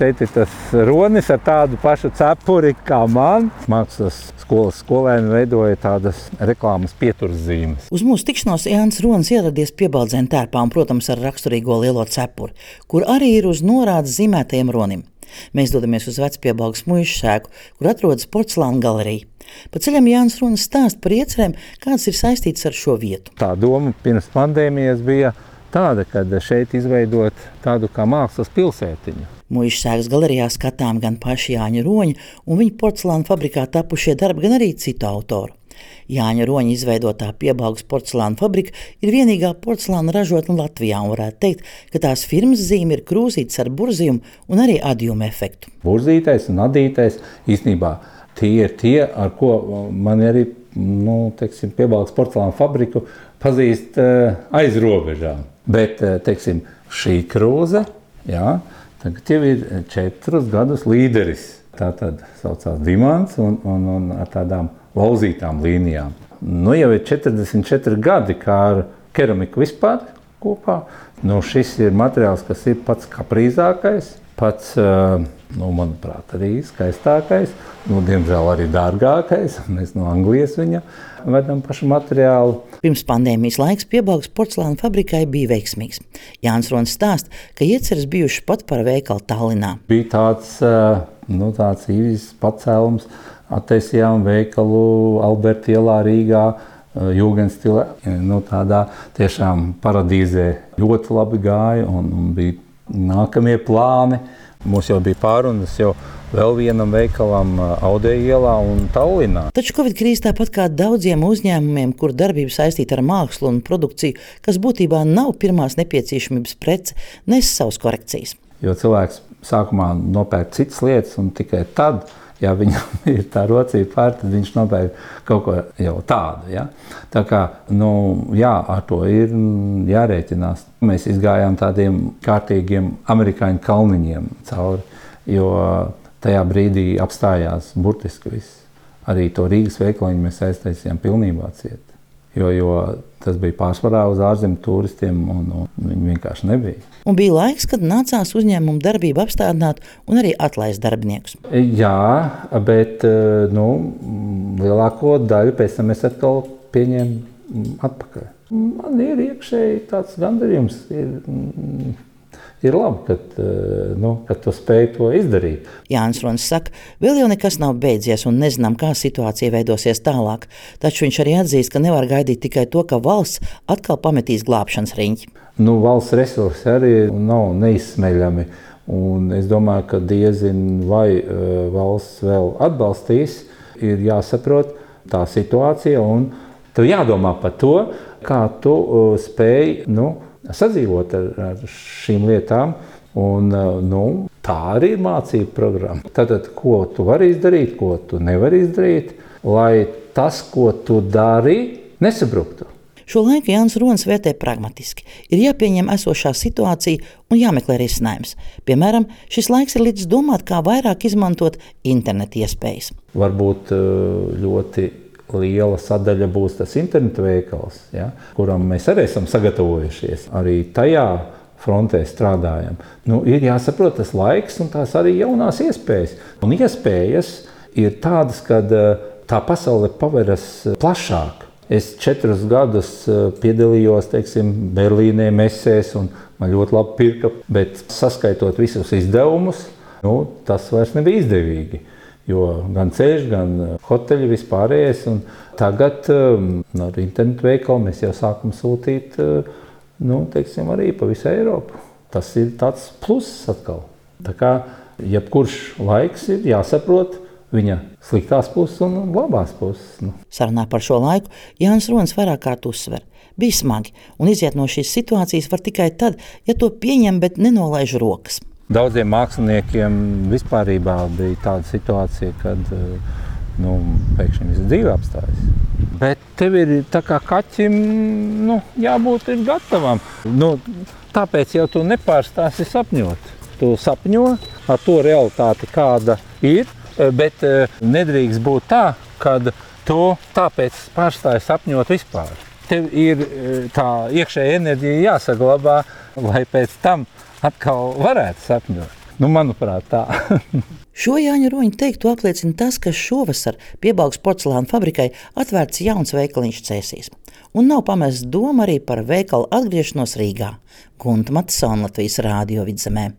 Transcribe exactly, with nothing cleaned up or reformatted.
šeit ir tas ronis ar tādu pašu cepuri kā man. Mākslas skolas skolēni veidoja tādas reklāmas pieturzīmes. Uz mūsu tikšanos Jānis Ronis ieradies Piebaldzēnu tērpā un, protams, ar raksturīgo lielo cepuri, kur arī ir uz norādes zīmētajam ronim. Mēs dodamies uz Vecpiebalgas muižu sēku, kur atrodas porcelāna galerija. Pa ceļam Jānis Ronis stāsta par iecerēm, kādas ir saistītas ar šo vietu. Tā doma pirms pandēmijas bija tāda, kad šeit izveidot tādu kā mākslas pilsētiņu. Muižu sēkas galerijā skatām gan paši Jāņa Roņa un viņa porcelāna fabrikā tapušie darbi, gan arī citu autoru. Jāņa Roņa izveidotā Piebalgas porcelāna fabrika ir vienīgā porcelāna ražotne Latvijā un varētu teikt, ka tās firmas zīme ir krūzītes ar burzījumu un arī adjumu efektu. Burzītais un adītais īstenībā tie ir tie, ar ko man arī nu, teiksim, Piebalgas porcelāna fabriku pazīst aiz robežām. Bet, teiksim, šī krūze, jā, tagad jau ir četrus gadus līderis. Tā tad saucās Dimants un, un, un ar tādām lauzītām līnijām. Nu, jau ir četrdesmit četri gadi, kā ar keramiku vispār kopā. Nu, šis ir materiāls, kas ir pats kaprīzākais, pats, nu, manuprāt, arī skaistākais, nu, diemžēl arī dārgākais. Mēs no Anglijas viņa vedam pašu materiālu. Pirms pandēmijas laiks Piebalgas porcelāna fabrikai bija veiksmīgs. Jānis Ronis stāsta, ka ieceres bijuši pat par veikalu Tallinā. Bija tāds, nu, tāds īvis pacēlums, attaisījām veikalu Alberta ielā Rīgā, jūgenstilē, nu, tādā tiešām paradīzē ļoti labi gāja un, un bija nākamie plāni. Mums jau bija pārunas jau vēl vienam veikalam Audeja ielā un Tallinā. Taču Covid krīze tāpat kā daudziem uzņēmumiem, kur darbība saistīta ar mākslu un produkciju, kas būtībā nav pirmās nepieciešamības prece, nes savas korekcijas. Jo cilvēks sākumā nopērk citas lietas un tikai tad, ja viņam ir tā rocība pār, tad viņš nopērk kaut ko jau tādu. Ja? Tā kā, nu, jā, ar to ir jārēķinās. Mēs izgājām tādiem kārtīgiem amerikāņu kalniņiem cauri, jo tajā brīdī apstājās burtiski viss. Arī to Rīgas veikaliņu mēs aiztaisījām pilnībā ciet. Jo, jo tas bija pārsvarā uz ārzemju turistiem un, un viņi vienkārši nebija. Un bija laiks, kad nācās uzņēmumu darbību apstādināt un arī atlaist darbiniekus. Jā, bet nu, lielāko daļu pēc tam mēs atkal pieņēmām atpakaļ. Man ir iekšēji tāds gandarījums. Ir, ir labi, kad, nu, kad tu spēj to izdarīt. Jānis Ronis saka, vēl jau nekas nav beidzies un nezinām, kā situācija veidosies tālāk. Taču viņš arī atzīst, ka nevar gaidīt tikai to, ka valsts atkal pametīs glābšanas riņķi. Nu, valsts resursi arī nav neizsmeļami. Un es domāju, ka diezin vai uh, valsts vēl atbalstīs, ir jāsaprot tā situācija un tev jādomā par to, kā tu uh, spēj, nu, sadzīvot ar, ar šīm lietām, un nu, tā arī ir mācību programma. Tātad, ko tu vari izdarīt, ko tu nevari izdarīt, lai tas, ko tu dari, nesabruktu. Šo laiku Jānis Ronis vērtē pragmatiski. Ir jāpieņem esošā situācija un jāmeklē risinājums. Piemēram, šis laiks ir līdz domāt, kā vairāk izmantot internetu iespējas. Varbūt ļoti liela sadaļa būs tas interneta veikals, ja, kuram mēs arī esam sagatavojušies. Arī tajā frontē strādājam. Nu, ir jāsaprot tas laiks un tās arī jaunās iespējas. Un iespējas ir tādas, kad tā pasaule paveras plašāk. Es četrus gadus piedalījos, teiksim, Berlīnē mesēs un man ļoti labi pirka, bet saskaitot visus izdevumus, nu, tas vairs nebija izdevīgi. Jo gan ceļš, gan hoteļi vispārējais, un tagad um, ar internetu veikalu mēs jau sākam sūtīt, uh, nu, teiksim, arī pa visu Eiropu. Tas ir tāds pluss atkal. Tā kā jebkurš laiks ir jāsaprot viņa sliktās puses un labās puses. Nu. Sarunā par šo laiku Jānis Ronis vairāk kārt uzsver. Bija smagi, un iziet no šīs situācijas var tikai tad, ja to pieņem, bet nenolaiž rokas. Daudziem māksliniekiem vispārībā bija tāda situācija, kad nu, pēkšņi visu dzīve apstājas. Bet tev ir tā kā kaķim, nu, jābūt ir gatavam. Nu, tāpēc jau tu nepārstāsi sapņot. Tu sapņo ar to realitāti, kāda ir, bet nedrīkst būt tā, kad tu tāpēc pārstāji sapņot vispār. Tev ir tā iekšēja enerģija jāsaglabā, lai pēc tam atkal varētu sapņot. Nu, manuprāt, tā. Šo Jāņa Roņa teikto apliecina tas, ka šovasar Piebalgas porcelāna fabrikai atvērts jauns veikaliņš Cēsīs. Un nav pamests doma arī par veikalu atgriešanos Rīgā. Gunta Matisona, Latvijas Rādio Vidzemē.